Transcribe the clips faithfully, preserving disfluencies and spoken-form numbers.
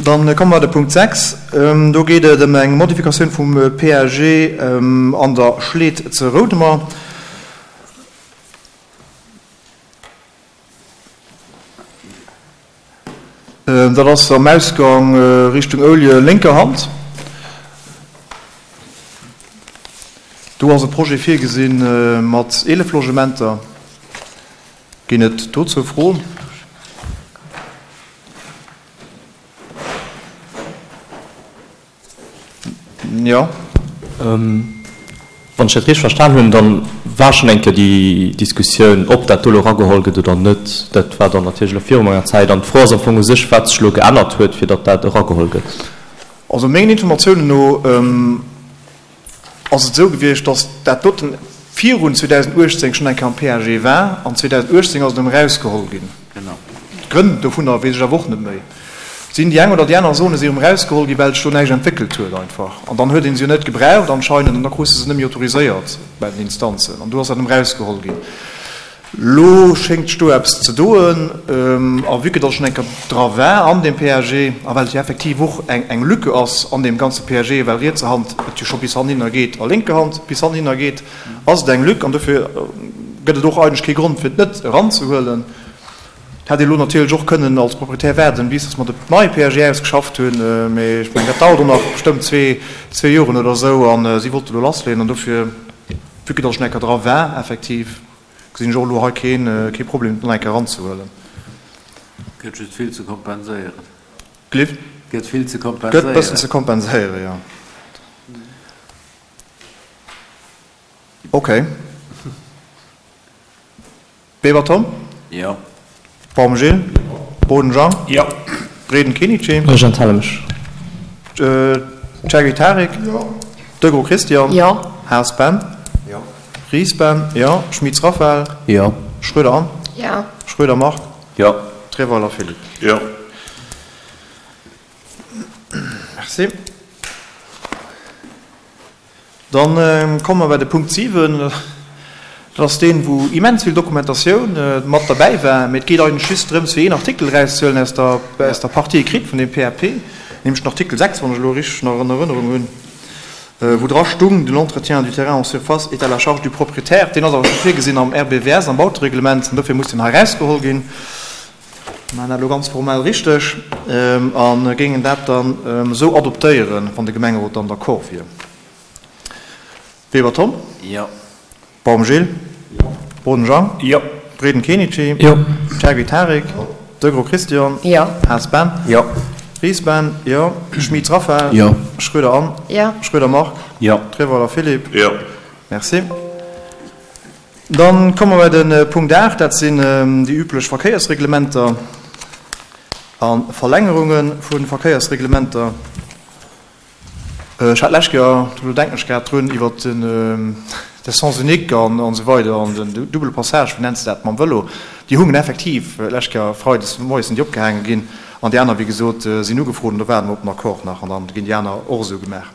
Dann komme mer de Punkt sechs. Do geet et ëm eng Modifikatioun vum P A G an der Schleed ze Roudemer. Dat ass am Ausgang Richtung Oulje, lénker Hand. Do ass e Projet virgesinn mat eelef Logementer. Ginn et dozou Froen? Jo. Wann ech dat richteg verstan hunn, dann war schonn eng Kéier déi Diskussioun, ob dat do elo erageholl gëtt oder net. Dat war dann natierlech elo viru menger Zäit. An d'Fro ass am Fong u sech, wat sech elo geännert huet, fir datt dat erageholl gëtt. Also mengen Informatiounen no ass et esou gewiescht, datt dat doten virun zweedausenduechtzéng schonn eng Kéier am P A G war an zweedausenduechtzéng ass et erëm erausgeholl ginn. D'Grënn dovunner weess ech awer och net méi. Sinn déi eng oder déi aner Zone si erëm erausgeholl ginn, well sech do näischt entwéckelt huet einfach. An dann huet ee se jo net gebraucht anscheinend an da krus de se net méi autoriséiert bei den Instanzen an do ass dat erëm erausgeholl ginn. Lo schéngt sech do eppes ze doen a vue que datt schonn eng Kéier dra war an deem P A G a well et jo effektiv och eng eng Lücke ass an deem ganze P A G, well rietser Hand et jo scho bis hanninner geet a lénker Hand bis hanninner geet, ass et eng Lück an dofir gëtt et och eigentlech kee Grond fir et net eranzehuelen. Et hätt ee lo natierlech och kënnen als Proprietär waarden, bis datt mer de neie P A G ausgeschafft hunn, mee ech mengen, dat dauert och nach bestëmmt zwee zwee Joren oder esou a si wollte lo lassleeën an dofir, vue que datt schonn eng Kéier dra war effektiv, gesinn ech och elo hei keen kee Problem, et nach eng Kéier eranzehuelen. Gëtt just vill ze kompenséieren. Glift? Gëtt vill ze Gëtt kompenséieren. Bëssen ze kompenséieren, jo. Okay. Weber Tom? Jo. Baum Gilles? Boden Jean? Jo. Breden Kenichi? Ech enthale mech. Cherry Tarek? Jo. Degros Christian? Jo. Haas Ben? Jo. Ries Ben? Jo. Schmitz Raphaël? Jo. Schröder Anne? Jo. Schröder Marc? Jo. Treweiler Philippe? Jo. Merci. Dann komme mer bei de Punkt siwen. Dat ass deen, wou immens vill Dokumentatioun mat derbäi war. Mee et geet eigentlech just drëms, fir een Artikel erauszehuelen aus der, aus der Partie écrite vun deem P A P, nämlech den Artikel sechs, wann ech elo richteg nach an Erënnerung hunn, wou dra stung, L'entretien du terrain en surface est à la charge du propriétaire. Deen ass awer scho virgesinn am R B W S, am Bautereglement, an dofir muss deen hei erausgeholl ginn. Mir maachen dat elo ganz formell richteg a géingen dat dann esou adoptéieren, wann de Gemengerot dann d'accord wier. Weber Tom? Jo. Baum Gilles? Jo. Boden Jean? Jo. Breden Kenichi? Jo. Cherry Tarek? Jo. Degros Christian? Jo. Haas Ben? Jo. Ries Ben? Jo. Schmitz Raphaël? Jo. Schröder Anne? Jo. Schröder Marc? Jo. Treweiler Philippe? Jo. Merci. Dann komme mer bei de Punkt aacht, dat sinn déi üblech Verkéiersreglementer a Verlängerunge vu Verkéiersreglementer. Ech hat d'lescht Joer, do denken ech grad drun, iwwer den de Sens unique an an esou weider an den double passage, wéi nenns de dat, mam Vëlo, déi hungen effektiv d'lescht Joer freides moies sinn déi opgehaange ginn an déi aner, wéi gesot, sinn ugefrot an do waarde mer op den Accord nach an dann ginn déi aner och esou gemaach.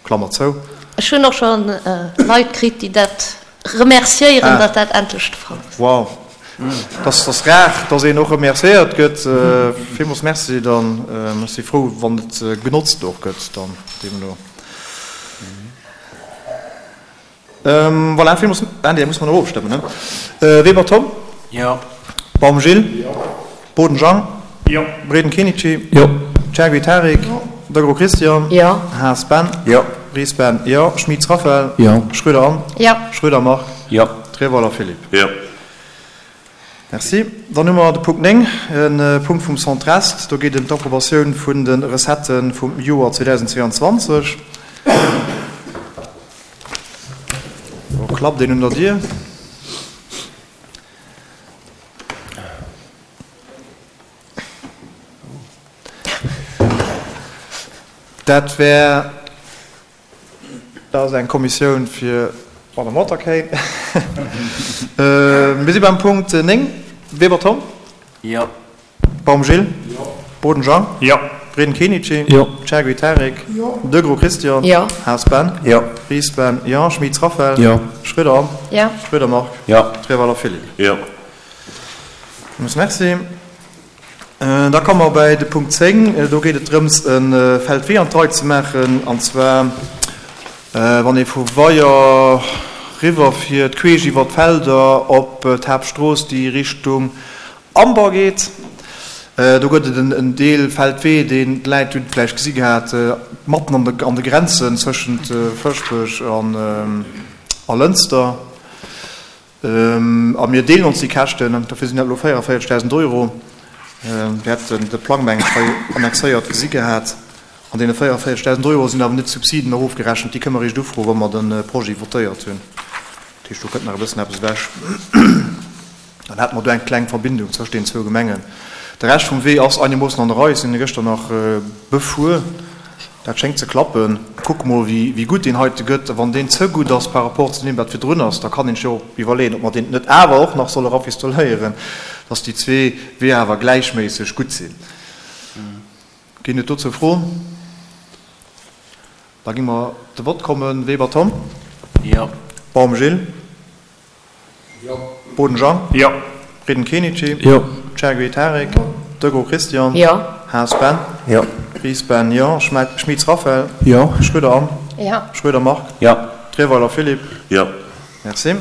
Klammer zou. Ech hunn och scho Leit kritt, déi dat remerciéieren, datt dat endlech de Fall ass. Wow, dat ass rar, datt een och remerciéiert gëtt. Villmools merci dann. Ech si frou, wann et genotzt och gëtt dann deemno. Voilà, villmools. Ah nee, da musse mer nach ofstëmmen, ne? Weber Tom? Jo. Baum Gilles? Jo. Boden Jean? Jo. Breden Kenichi? Jo. Cherry Tarek? Jo. Degros Christian? Jo. Haas Ben? Jo. Ries Ben? Jo. Schmitz Raphaël? Jo. Schröder Anne? Jo. Schröder Marc? Jo. Treweiler Philippe? Jo. Merci. Dann hu mer de Punkt néng, e Punkt vum Centre-Est. Do geet ëm d'Approbatioun vun de Recettë vum Joer zweedausendzweeanzwanzeg. Do klappt een un der Dier. Dat wär, dat ass eng Kommissioun fir d'Madame Waterkane. Mir si beim Punkt néng. Weber Tom? Jo. Baum Gilles? Jo. Boden Jean? Jo. Breden Kenichi? Jo. Chergui Tarek? Jo. Degros Christian? Jo. Haas Ben? Jo. Ries Ben? Jo. Schmitz Raphaël? Jo. Schröder Anne? Jo. Schröder Marc? Jo. Treweiler Philippe? Jo. Villmools merci. Da komme mer bei de Punkt zéng. Do geet et drëms, e Feldwee an d'Rei ze maachen, an zwar wann ee vu Weyer riwwerfiert, queesch iwwer d'Felder op d'Haaptstrooss, déi Richtung Amber geet. Do gëtt et en Deel Feldwee, deen d'Läit hunn et vläicht gesi gehat, matten an de Grenzen zwëschent Fëschbech a Lënster. A mir deelen ons déi Käschten, dofir sinn dat elo véierevéierzegdausend Euro. Dir hätt de Plang, meng ech, hei annexéiert gesi gehat. An deene véierevéierzegdausend Euro sinn awer net d'Subsiden erofgerechent, déi kënne mer eréischt ufroen, wa mer de Projet votéiert hunn. Dat heescht, do kënnt nach e bëssen eppes ewech. Dann hätte mer do eng kleng Verbindung zwëscht deenen zwou Gemengen. De Rescht vum Wee ass einemoossen an der Rei. Ech sinn e gëschter nach befuer. Dat schéngt ze klappen. Kucke mol, wéi gutt deen heite gëtt. A wann deen ze gutt ass par rapport zu deem, wat virdrun ass, da kann een sech jo iwwerleeën, ob mer deen net awer och nach solle rafistoléieren, dass déi zwee Weeër awer gläichméisseg gutt sinn. Ginn et dozou Froen? Da gi mer de Vott kommen. Weber Tom? Jo. Baum Gilles? Jo. Boden Jean? Jo. Frieden Kenichi? Jo. Chergui Tarik? Jo. Degraux Christian? Jo. Haas Ben? Jo. Ries Ben, jo. Schmitz Raphaël? Jo. Schroeder Anne? Jo. Schroeder Marc? Jo. Trierweiler Philippe? Jo. Merci.